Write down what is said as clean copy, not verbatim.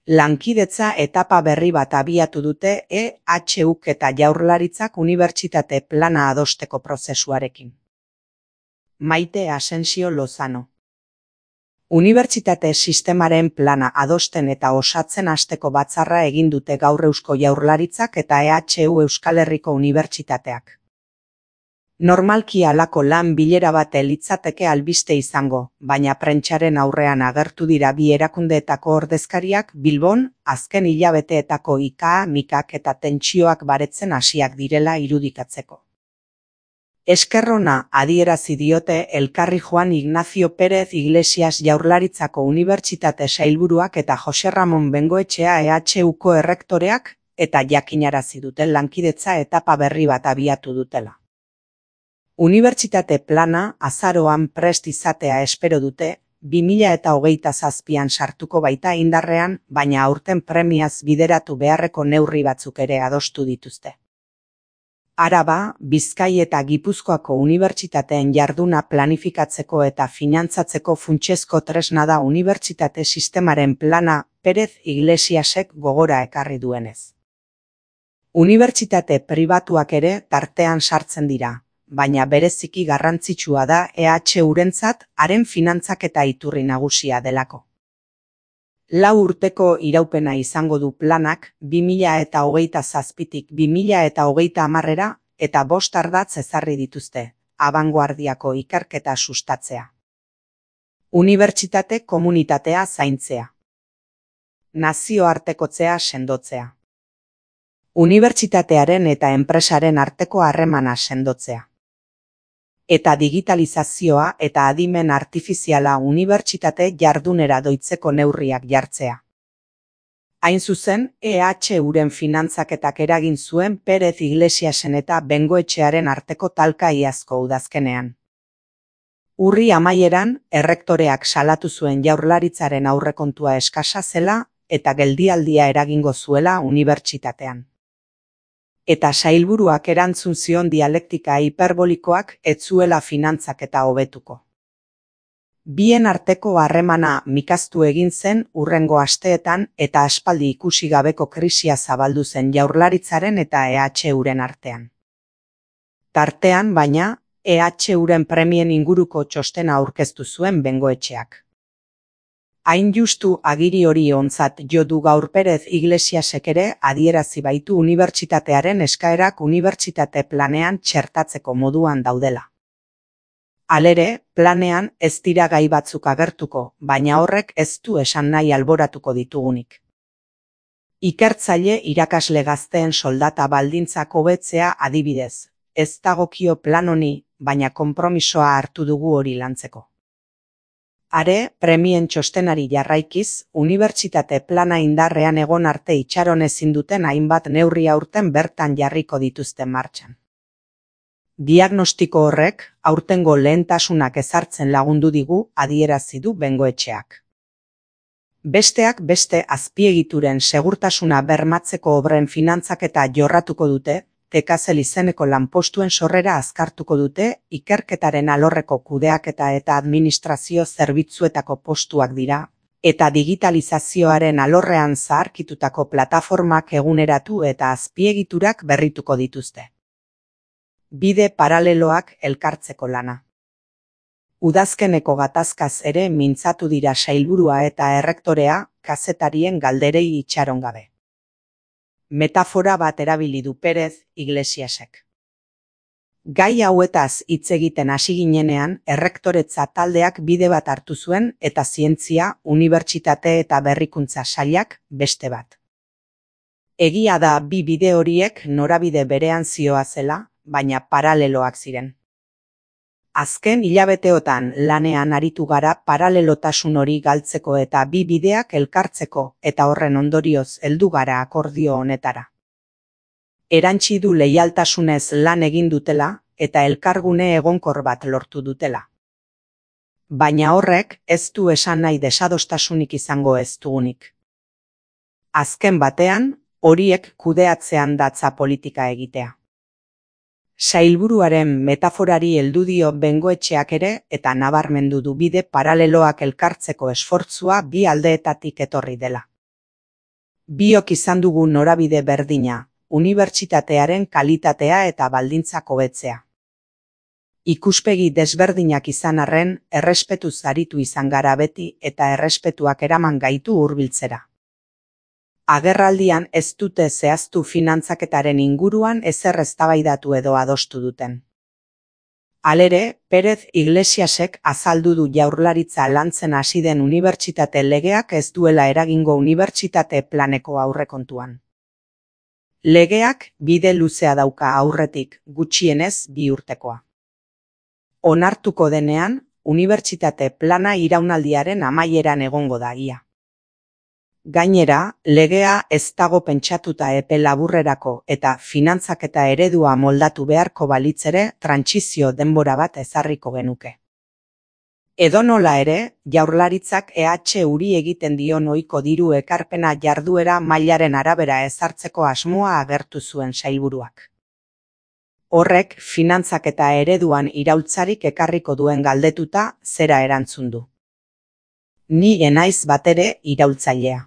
Lankidetza etapa berri bat abiatu dute EHUk eta Jaurlaritzak unibertsitate plana adosteko prozesuarekin. Maite Asensio Lozano. Unibertsitate sistemaren plana adosten eta osatzen hasteko batzarra egin dute gaur Eusko Jaurlaritzak eta EHU Euskal Herriko Unibertsitateak. Normalki halako lan bilera bat litzateke albiste izango, baina prentsaren aurrean agertu dira bi erakundeetako ordezkariak Bilbon azken hilabeteetako ika-mikak eta tentsioak baretzen hasiak direla irudikatzeko. Esker ona adierazi diote elkarri Juan Ignacio Pérez Iglesias Jaurlaritzako Unibertsitate Sailburuak eta Jose Ramon Bengoetxea EHUko errektoreak, eta jakinarazi duten lankidetza etapa berri bat abiatu dutela. Unibertsitate plana azaroan prest izatea espero dute, 2027an sartuko baita indarrean, baina aurten premiaz bideratu beharreko neurri batzuk ere adostu dituzte. Araba, Bizkai eta Gipuzkoako unibertsitateen jarduna planifikatzeko eta finantzatzeko funtsezko tresna da unibertsitate sistemaren plana, Pérez Iglesiasek gogora ekarri duenez. Unibertsitate pribatuak ere tartean sartzen dira, baina bereziki garrantzitsua da EHUrentzat haren finantzaketa iturri nagusia delako. 4 urteko iraupena izango du planak 2027tik 2030era eta 5 ardatz ezarri dituzte, abangoardiako ikerketa sustatzea. Unibertsitate komunitatea zaintzea. Nazioartekotzea sendotzea. Unibertsitatearen eta enpresaren arteko harremana sendotzea. Eta digitalizazioa eta adimen artifiziala unibertsitate jardunera doitzeko neurriak jartzea. Hain zuzen, EHUren finantzaketak eragin zuen Pérez Iglesiasen eta Bengoetxearen arteko talka iazko udazkenean. Urri amaieran, errektoreak salatu zuen Jaurlaritzaren aurrekontua eskasa zela eta geldialdia eragingo zuela unibertsitatean. Eta sailburuak erantzun zion dialektika hiperbolikoak ez zuela finantzaketa hobetuko. Bien arteko harremana mikaztu egin zen hurrengo asteetan eta aspaldi ikusi gabeko krisia zabaldu zen Jaurlaritzaren eta EHUren artean. Tartean, baina, EHUren premien inguruko txostena aurkeztu zuen Bengoetxeak. Hain justu agiri hori ontzat jo du gaur Pérez Iglesiasek ere adierazi baitu unibertsitatearen eskaerak unibertsitate planean txertatzeko moduan daudela. Halere, planean ez dira gai batzuk agertuko, baina horrek ez du esan nahi alboratuko ditugunik. Ikertzaile irakasle gazteen soldata baldintzak hobetzea adibidez, ez dagokio plan honi, baina konpromisoa hartu dugu hori lantzeko. Are, premien txostenari jarraikiz, unibertsitate plana indarrean egon arte itxaron ezin duten hainbat neurri aurten bertan jarriko dituzten martxan. Diagnostiko horrek, aurtengo lehentasunak ezartzen lagundu digu adierazi du Bengoetxeak. Besteak beste azpiegituren segurtasuna bermatzeko obren finantzaketa jorratuko dute, Tekazel izeneko lanpostuen sorrera azkartuko dute, ikerketaren alorreko kudeaketa eta administrazio zerbitzuetako postuak dira, eta digitalizazioaren alorrean zaharkitutako plataformak eguneratu eta azpiegiturak berrituko dituzte. Bide paraleloak elkartzeko lana. Udazkeneko gatazkaz ere mintzatu dira sailburua eta errektorea, kazetarien galderei itxaron gabe. Metafora bat erabili du Pérez Iglesiasek. Gai hauetaz hitz egiten hasi ginenean, errektoretza taldeak bide bat hartu zuen eta zientzia, unibertsitate eta berrikuntza sailak beste bat. Egia da bi bide horiek norabide berean zihoazela, baina paraleloak ziren. Azken hilabeteotan lanean aritu gara paralelotasun hori galtzeko eta bi bideak elkartzeko eta horren ondorioz heldu gara akordio honetara. Erantsi du leialtasunez lan egin dutela eta elkargune egonkor bat lortu dutela. Baina horrek ez du esan nahi desadostasunik izango ez dugunik. Azken batean, horiek kudeatzean datza politika egitea. Sailburuaren metaforari heldu dio Bengoetxeak ere eta nabarmendu du bide paraleloak elkartzeko esfortzua bi aldeetatik etorri dela. Biok izan dugu norabide berdina, unibertsitatearen kalitatea eta baldintzak hobetzea. Ikuspegi desberdinak izan arren, errespetuz aritu izan gara beti eta errespetuak eraman gaitu hurbiltzera. Agerraldian ez dute zehaztu finantzaketaren inguruan ezer eztabaidatu edo adostu duten. Halere, Pérez Iglesiasek azaldu du Jaurlaritza lantzen hasi den unibertsitate legeak ez duela eragingo unibertsitate planeko aurrekontuan. Legeak bide luzea dauka aurretik, gutxienez 2 urtekoa. Onartuko denean, unibertsitate plana iraunaldiaren amaieran egongo da ia. Gainera, legea ez dago pentsatuta epe laburrerako eta finantzaketa eredua moldatu beharko balitz ere trantsizio denbora bat ezarriko genuke. Edonola ere, Jaurlaritzak EHuri egiten dion ohiko diru ekarpena jarduera mailaren arabera ezartzeko asmoa agertu zuen sailburuak. Horrek finantzaketa ereduan iraultzarik ekarriko duen galdetuta zera erantzun du. Ni ez naiz batere iraultzailea.